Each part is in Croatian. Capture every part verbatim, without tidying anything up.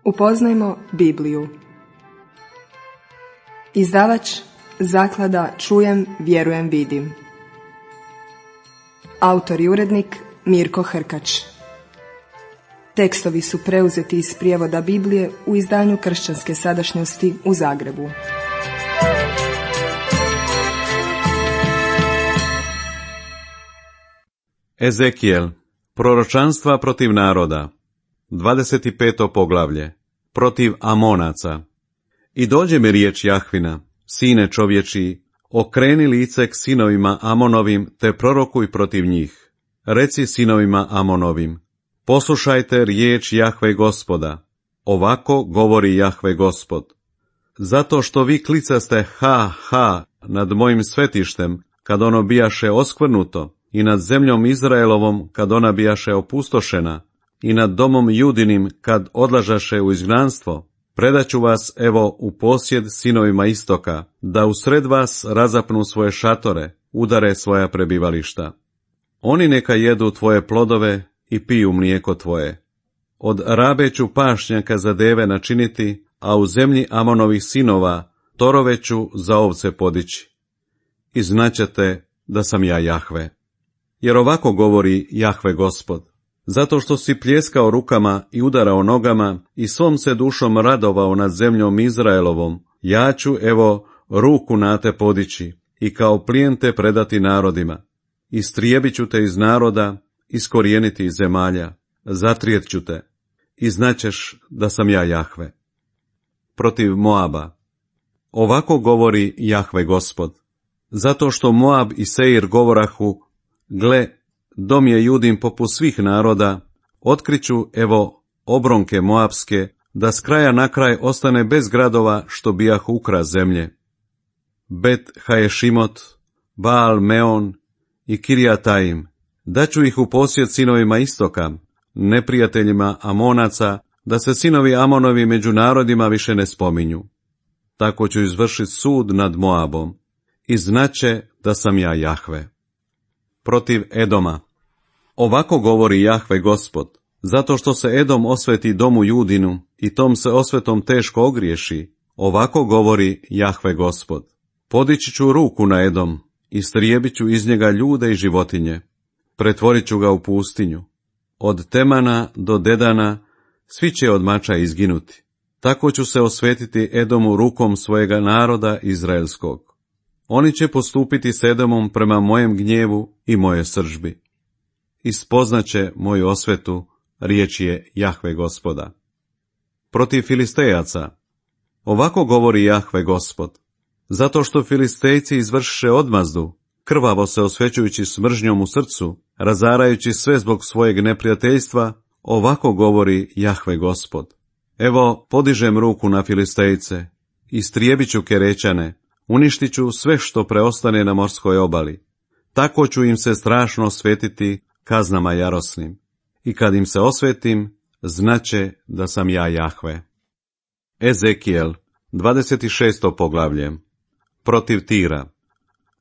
Upoznajmo Bibliju. Izdavač Zaklada Čujem, vjerujem, vidim. Autor i urednik Mirko Hrkač. Tekstovi su preuzeti iz prijevoda Biblije u izdanju Kršćanske sadašnjosti u Zagrebu. Ezekijel, proročanstva protiv naroda, dvadeset peto poglavlje, protiv Amonaca. I dođe mi riječ Jahvina, sine čovječiji, okreni lice k sinovima Amonovim, te prorokuj protiv njih. Reci sinovima Amonovim, poslušajte riječ Jahve Gospoda, ovako govori Jahve Gospod. Zato što vi klicaste ha, ha nad mojim svetištem, kad ono bijaše oskvrnuto, i nad zemljom Izraelovom, kad ona bijaše opustošena, i nad domom Judinim, kad odlažaše u izgnanstvo, predaću vas, evo, u posjed sinovima istoka, da usred vas razapnu svoje šatore, udare svoja prebivališta. Oni neka jedu tvoje plodove i piju mlijeko tvoje. Od rabe ću pašnjaka za deve načiniti, a u zemlji Amonovih sinova torove ću za ovce podići. I znaćete da sam ja Jahve. Jer ovako govori Jahve Gospod, zato što si pljeskao rukama i udarao nogama i svom se dušom radovao nad zemljom Izraelovom, ja ću, evo, ruku na te podići i kao plijen te predati narodima. Istrijebit ću te iz naroda, iskorijeniti iz zemalja, zatrijet ću te i znaćeš da sam ja Jahve. Protiv Moaba. Ovako govori Jahve Gospod, zato što Moab i Seir govorahu, gle, dom je Judin poput svih naroda, otkriću, evo, obronke Moabske, da s kraja na kraj ostane bez gradova što bijah ukras zemlje. Bet Haješimot, Baal Meon i Kirjataim, daću ih u posjed sinovima istoka, neprijateljima Amonaca, da se sinovi Amonovi među narodima više ne spominju. Tako ću izvršiti sud nad Moabom i znaće da sam ja Jahve. Protiv Edoma. Ovako govori Jahve Gospod, zato što se Edom osveti domu Judinu i tom se osvetom teško ogriješi, ovako govori Jahve Gospod. Podići ću ruku na Edom, istrijebit ću iz njega ljude i životinje, pretvorit ću ga u pustinju. Od Temana do Dedana svi će od mača izginuti. Tako ću se osvetiti Edomu rukom svojega naroda izraelskog. Oni će postupiti s Edomom prema mojem gnjevu i moje sržbi. Ispoznaće moju osvetu, riječ je Jahve Gospoda. Protiv Filistejaca. Ovako govori Jahve Gospod, zato što Filistejci izvršiše odmazdu, krvavo se osvećujući s mržnjom u srcu, razarajući sve zbog svojeg neprijateljstva, ovako govori Jahve Gospod. Evo, podižem ruku na Filistejce, istrijebit ću Kerećane, uništit ću sve što preostane na morskoj obali. Tako ću im se strašno osvetiti kaznama jarosnim. I kad im se osvetim, znaće da sam ja Jahve. Ezekijel, dvadeset šesto poglavlje. Protiv Tira.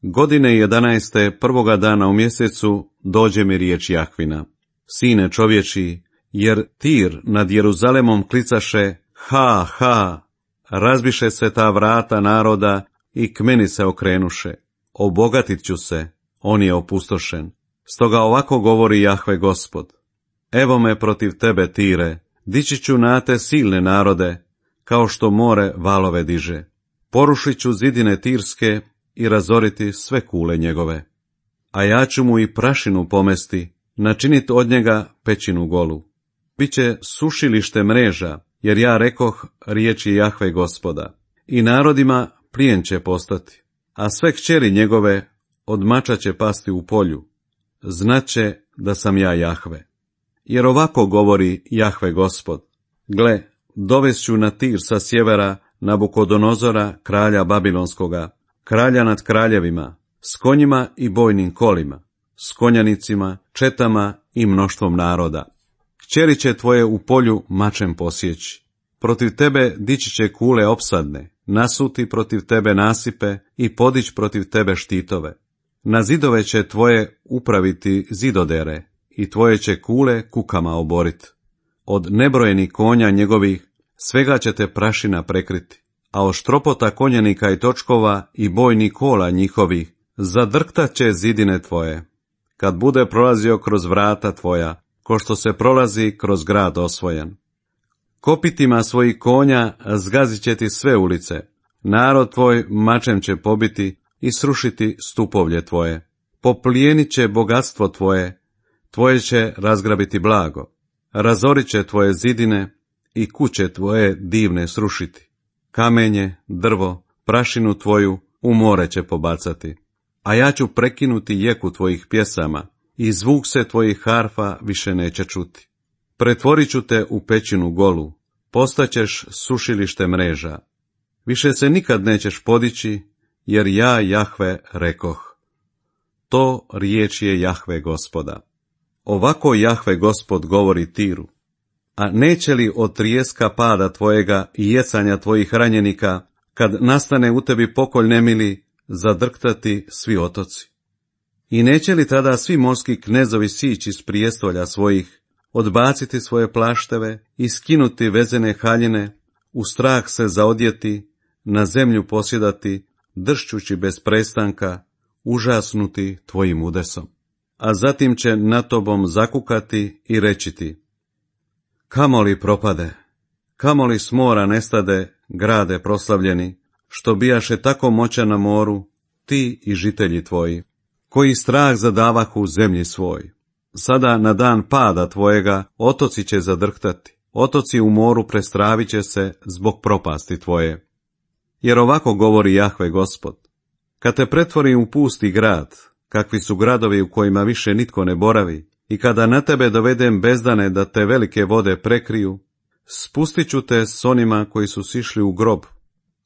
Godine jedanaeste prvoga dana u mjesecu dođe mi riječ Jahvina. Sine čovječiji, jer Tir nad Jeruzalemom klicaše ha, ha, razbiše se ta vrata naroda i k meni se okrenuše. Obogatit ću se, on je opustošen. Stoga ovako govori Jahve Gospod. Evo me protiv tebe, Tire, dići ću na te silne narode, kao što more valove diže. Porušit ću zidine Tirske i razoriti sve kule njegove. A ja ću mu i prašinu pomesti, načinit od njega pećinu golu. Biće sušilište mreža, jer ja rekoh, riječi Jahve Gospoda. I narodima plijen će postati, a sve kćeri njegove od mača će pasti u polju. Znaće da sam ja Jahve. Jer ovako govori Jahve Gospod. Gle, dovešću na Tir sa sjevera Nabukodonozora, kralja Babilonskoga, kralja nad kraljevima, s konjima i bojnim kolima, s konjanicima, četama i mnoštvom naroda. Kćeri će tvoje u polju mačem posjeći. Protiv tebe dići će kule opsadne, nasuti protiv tebe nasipe i podić protiv tebe štitove. Na zidove će tvoje upraviti zidodere i tvoje će kule kukama oborit. Od nebrojenih konja njegovih svega će te prašina prekriti, a od štropota konjenika i točkova i bojnih kola njihovih zadrktat će zidine tvoje, kad bude prolazio kroz vrata tvoja, ko što se prolazi kroz grad osvojen. Kopitima svojih konja zgazit će ti sve ulice, narod tvoj mačem će pobiti i srušiti stupovlje tvoje. Poplijenit će bogatstvo tvoje, tvoje će razgrabiti blago, razorit će tvoje zidine i kuće tvoje divne srušiti. Kamenje, drvo, prašinu tvoju u more će pobacati, a ja ću prekinuti jeku tvojih pjesama i zvuk se tvojih harfa više neće čuti. Pretvorit ću te u pećinu golu, postaćeš sušilište mreža. Više se nikad nećeš podići, jer ja, Jahve, rekoh. To riječ je Jahve Gospoda. Ovako Jahve Gospod govori Tiru. A neće li od trijeska pada tvojega i jecanja tvojih ranjenika, kad nastane u tebi pokolj nemili, zadrktati svi otoci? I neće li tada svi morski knezovi sići iz prijestolja svojih, odbaciti svoje plašteve i skinuti vezene haljine, u strah se zaodjeti, na zemlju posjedati, dršćući bez prestanka, užasnuti tvojim udesom? A zatim će na tobom zakukati i reći ti: kamo li propade, kamo li s mora nestade, grade proslavljeni, što bijaše tako moćan na moru, ti i žitelji tvoji, koji strah zadavahu u zemlji svoj. Sada na dan pada tvojega otoci će zadrhtati, otoci u moru prestravit će se zbog propasti tvoje. Jer ovako govori Jahve Gospod: kad te pretvorim u pusti grad, kakvi su gradovi u kojima više nitko ne boravi, i kada na tebe dovedem bezdane da te velike vode prekriju, spustit ću te s onima koji su sišli u grob,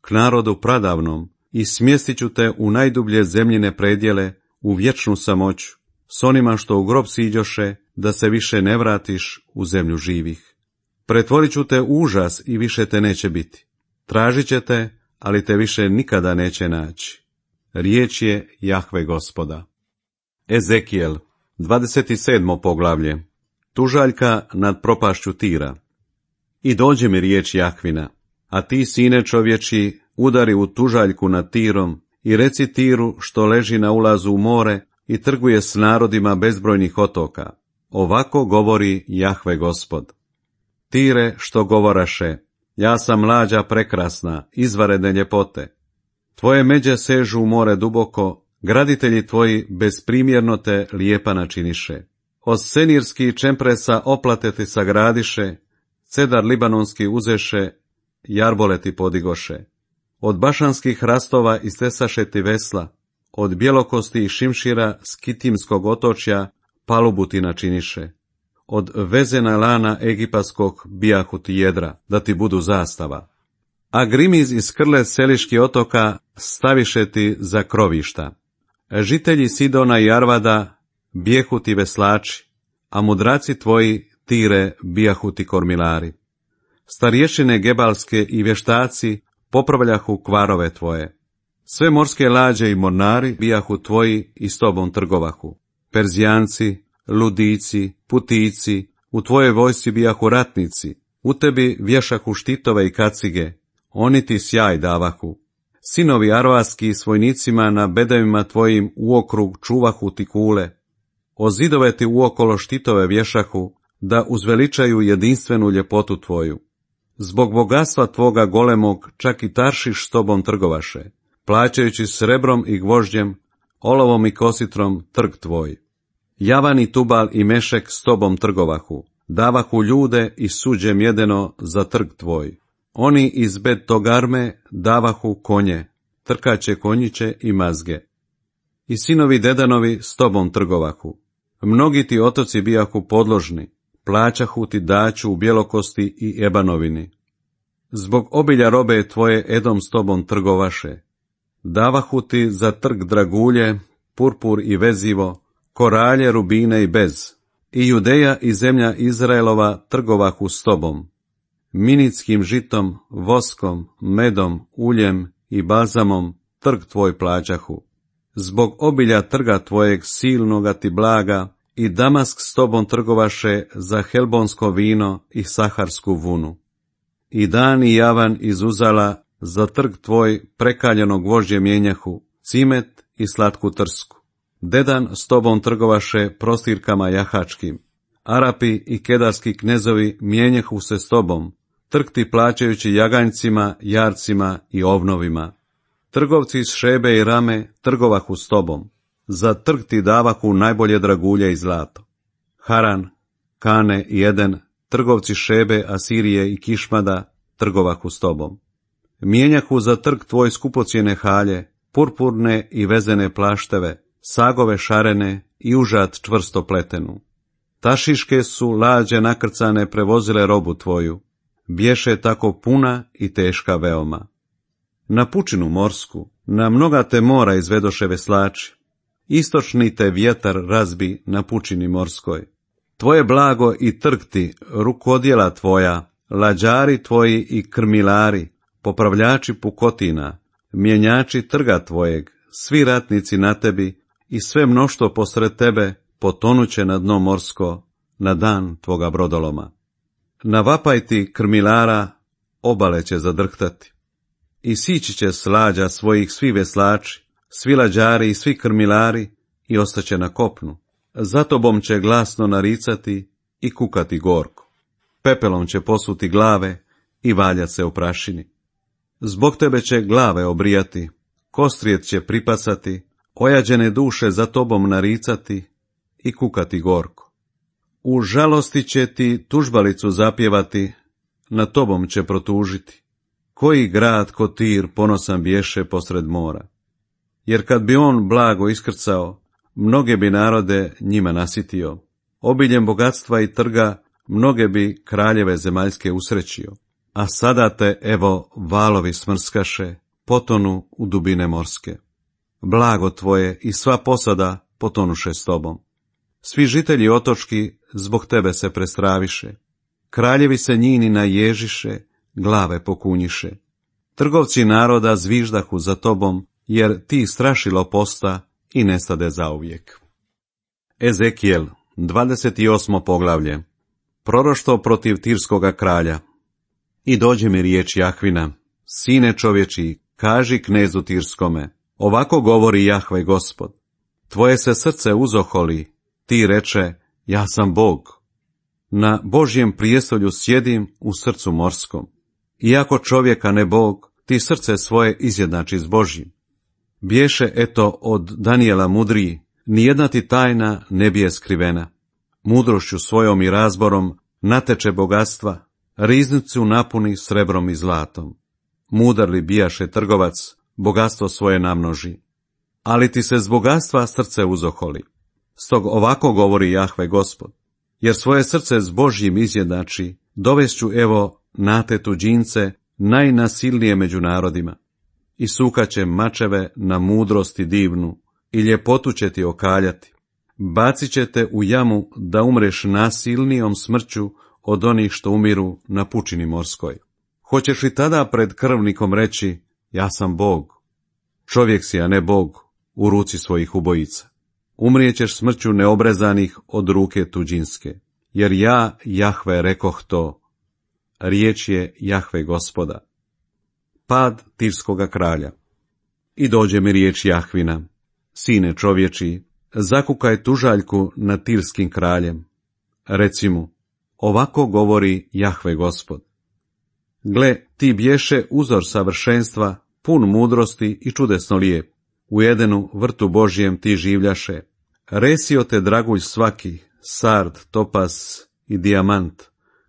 k narodu pradavnom, i smjestit ću te u najdublje zemljine predjele, u vječnu samoću, s onima što u grob siđoše, da se više ne vratiš u zemlju živih. Pretvorit ću te u užas i više te neće biti. Tražit će te, ali te više nikada neće naći. Riječ je Jahve Gospoda. Ezekijel, dvadeset sedmo poglavlje. Tužaljka nad propašću Tira. I dođe mi riječ Jahvina, a ti, sine čovječi, udari u tužaljku nad Tirom i reci Tiru, što leži na ulazu u more i trguje s narodima bezbrojnih otoka. Ovako govori Jahve Gospod. Tire, što govoraše, ja sam mlađa prekrasna, izvanredne ljepote. Tvoje međe sežu u more duboko, graditelji tvoji bezprimjerno te lijepa načiniše. Od senirskih čempresa oplate ti sagradiše, cedar libanonski uzeše, jarboleti podigoše. Od bašanskih hrastova istesaše ti vesla, od bjelokosti i šimšira s Kitimskog otočja palubu ti načiniše. Od vezena lana egipatskog bijahu ti jedra, da ti budu zastava. A grimiz iz krle seliških otoka staviše ti za krovišta. Žitelji Sidona i Arvada bijehu ti veslači, a mudraci tvoji, Tire, bijahu ti kormilari. Starješine gebalske i vještaci popravljahu kvarove tvoje. Sve morske lađe i mornari bijahu tvoji i s tobom trgovahu. Perzijanci, ludici, putici, u tvojoj vojsci bijahu ratnici, u tebi vješahu štitove i kacige, oni ti sjaj davahu. Sinovi arvaski s vojnicima na bedevima tvojim uokrug čuvahu ti kule. O zidove ti uokolo štitove vješahu, da uzveličaju jedinstvenu ljepotu tvoju. Zbog bogatstva tvoga golemog čak i Taršiš s tobom trgovaše, plaćajući srebrom i gvožđem, olovom i kositrom trg tvoj. Javan i Tubal i Mešek s tobom trgovahu, davahu ljude i suđe mjedeno za trg tvoj. Oni iz Bet Togarme davahu konje, trkaće konjiće i mazge. I sinovi Dedanovi s tobom trgovahu. Mnogi ti otoci bijahu podložni, plaćahu ti daću u bjelokosti i ebanovini. Zbog obilja robe tvoje Edom s tobom trgovaše. Davahu ti za trg dragulje, purpur i vezivo, koralje, rubine i bez. I Judeja i zemlja Izraelova trgovahu s tobom. Minitskim žitom, voskom, medom, uljem i balzamom trg tvoj plaćahu. Zbog obilja trga tvojeg silnoga ti blaga i Damask s tobom trgovaše za helbonsko vino i saharsku vunu. i dan i javan izuzala za trg tvoj prekaljenog gvožđe mijenjahu, cimet i slatku trsku. Dedan s tobom trgovaše prostirkama jahačkim. Arapi i kedarski knezovi mijenjahu se s tobom, trg ti plaćajući jaganjcima, jarcima i ovnovima. Trgovci iz Šebe i Rame trgovahu s tobom, za trg ti davahu najbolje dragulje i zlato. Haran, Kane i Eden, trgovci Šebe, Asirije i Kišmada trgovahu s tobom. Mijenjahu za trg tvoj skupocijene halje, purpurne i vezene plašteve, sagove šarene i užad čvrsto pletenu. Tašiške su lađe nakrcane prevozile robu tvoju, bješe tako puna i teška veoma. Na pučinu morsku, na mnoga te mora izvedoše veslači, istočni te vjetar razbi na pučini morskoj. Tvoje blago i trg ti, rukodjela tvoja, lađari tvoji i krmilari, popravljači pukotina, mjenjači trga tvojeg, svi ratnici na tebi i sve mnoštvo posred tebe potonuće na dno morsko, na dan tvoga brodoloma. Na vapaj ti krmilara obale će zadrhtati. I sići će slađa svojih svi veslači, svi lađari i svi krmilari i ostaće na kopnu. Za tobom će glasno naricati i kukati gorko. Pepelom će posuti glave i valjat se u prašini. Zbog tebe će glave obrijati, kostrijet će pripasati, ojađene duše za tobom naricati i kukati gorko. U žalosti će ti tužbalicu zapjevati, na tobom će protužiti. Koji grad ko Tir ponosan bješe posred mora. Jer kad bi on blago iskrcao, mnoge bi narode njima nasitio. Obiljem bogatstva i trga mnoge bi kraljeve zemaljske usrećio. A sada te, evo, valovi smrskaše, potonu u dubine morske. Blago tvoje i sva posada potonuše s tobom. Svi žitelji otočki zbog tebe se prestraviše. Kraljevi se njini naježiše, glave pokunjiše. Trgovci naroda zviždahu za tobom, jer ti strašilo posta i nestade zauvijek. Ezekijel, dvadeset osmo poglavlje. Proroštvo protiv Tirskoga kralja. I dođe mi riječ Jahvina, sine čovječi, kaži knezu Tirskome, ovako govori Jahve Gospod. Tvoje se srce uzoholi, ti reče, ja sam Bog. Na Božjem prijestolju sjedim u srcu morskom. Iako čovjeka ne Bog, ti srce svoje izjednači s Božjim. Bješe eto od Danijela mudriji, nijedna ti tajna ne bije skrivena. Mudrošću svojom i razborom nateče bogatstva, riznicu napuni srebrom i zlatom. Mudar li bijaše trgovac, bogatstvo svoje namnoži. Ali ti se z bogatstva srce uzoholi. Stog ovako govori Jahve Gospod, jer svoje srce s Božjim izjednači, dovešću evo na te tuđince najnasilnije među narodima. I sukaće mačeve na mudrosti divnu, i ljepotu će ti okaljati. Bacit će te u jamu da umreš nasilnijom smrću od onih što umiru na pučini morskoj. Hoćeš li tada pred krvnikom reći, ja sam Bog? Čovjek si, a ne Bog, u ruci svojih ubojica. Umrijećeš smrću neobrezanih od ruke tuđinske, jer ja, Jahve, rekoh to. Riječ je Jahve Gospoda. Pad Tirskoga kralja. I dođe mi riječ Jahvina, sine čovječi, zakukaj tužaljku nad Tirskim kraljem. Reci mu, ovako govori Jahve Gospod. Gle, ti bješe uzor savršenstva, pun mudrosti i čudesno lijep. U Edenu vrtu Božjem ti življaše. Resio te dragulj svaki, sard, topas i dijamant,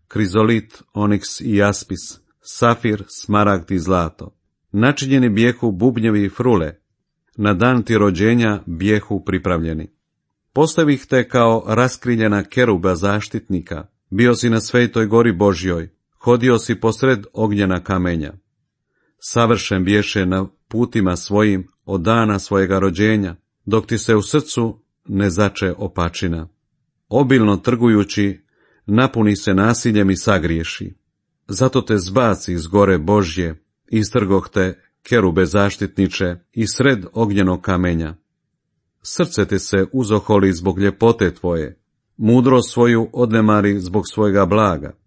krizolit, oniks i jaspis, safir, smaragd i zlato. Načinjeni bijehu bubnjevi i frule, na dan ti rođenja bijehu pripravljeni. Postavih te kao raskriljena keruba zaštitnika, bio si na svetoj gori Božjoj, hodio si posred ognjena kamenja. Savršen bješe na putima svojim od dana svojega rođenja, dok ti se u srcu ne zače opačina. Obilno trgujući, napuni se nasiljem i sagriješi. Zato te zbaci iz gore Božje, istrgoh te, kerube zaštitniče, i sred ognjenog kamenja. Srce te se uzoholi zbog ljepote tvoje, mudro svoju odnemari zbog svojega blaga.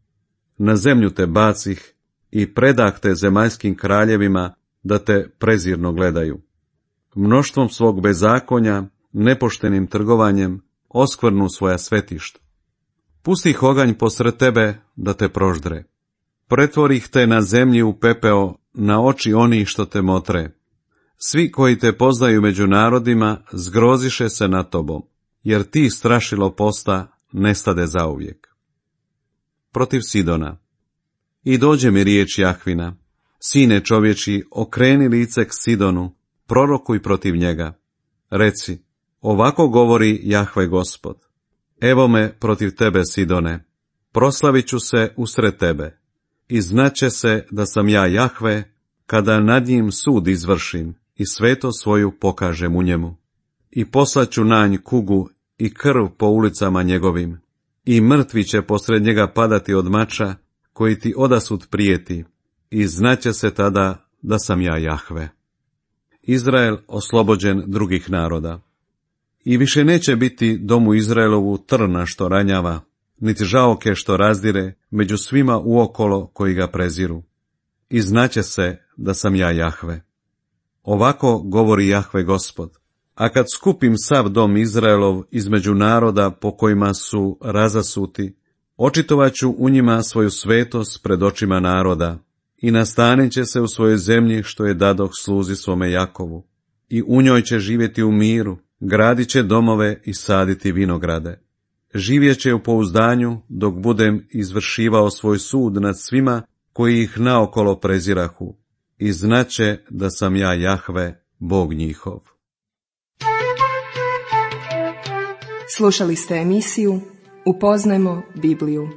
Na zemlju te bacih, i predah te zemaljskim kraljevima da te prezirno gledaju. Mnoštvom svog bezakonja, nepoštenim trgovanjem, oskvrnu svoja svetišta. Pusti ih oganj posred tebe da te proždre. Pretvori ih te na zemlji u pepeo, na oči onih što te motre. Svi koji te poznaju među narodima zgroziše se nad tobom, jer ti strašilo posta nestade zauvijek. Protiv Sidona. I dođe mi riječ Jahvina, sine čovječi, okreni lice k Sidonu, prorokuj protiv njega. Reci, ovako govori Jahve Gospod. Evo me protiv tebe, Sidone, proslavit ću se usred tebe, i znaće se da sam ja Jahve, kada nad njim sud izvršim i sveto svoju pokažem u njemu. I poslaću na nj kugu i krv po ulicama njegovim, i mrtvi će posred njega padati od mača, koji ti odasud prijeti, i znaće se tada da sam ja Jahve. Izrael oslobođen drugih naroda. I više neće biti domu Izraelovu trna što ranjava, niti žaoke što razdire među svima uokolo koji ga preziru. I znaće se da sam ja Jahve. Ovako govori Jahve Gospod. A kad skupim sav dom Izraelov između naroda po kojima su razasuti, očitovaću u njima svoju svetost pred očima naroda, i nastanit će se u svojoj zemlji što je dadoh sluzi svome Jakovu, i u njoj će živjeti u miru, gradit će domove i saditi vinograde. Živjet će u pouzdanju dok budem izvršivao svoj sud nad svima koji ih naokolo prezirahu, i znaće da sam ja Jahve, Bog njihov. Slušali ste emisiju Upoznajmo Bibliju.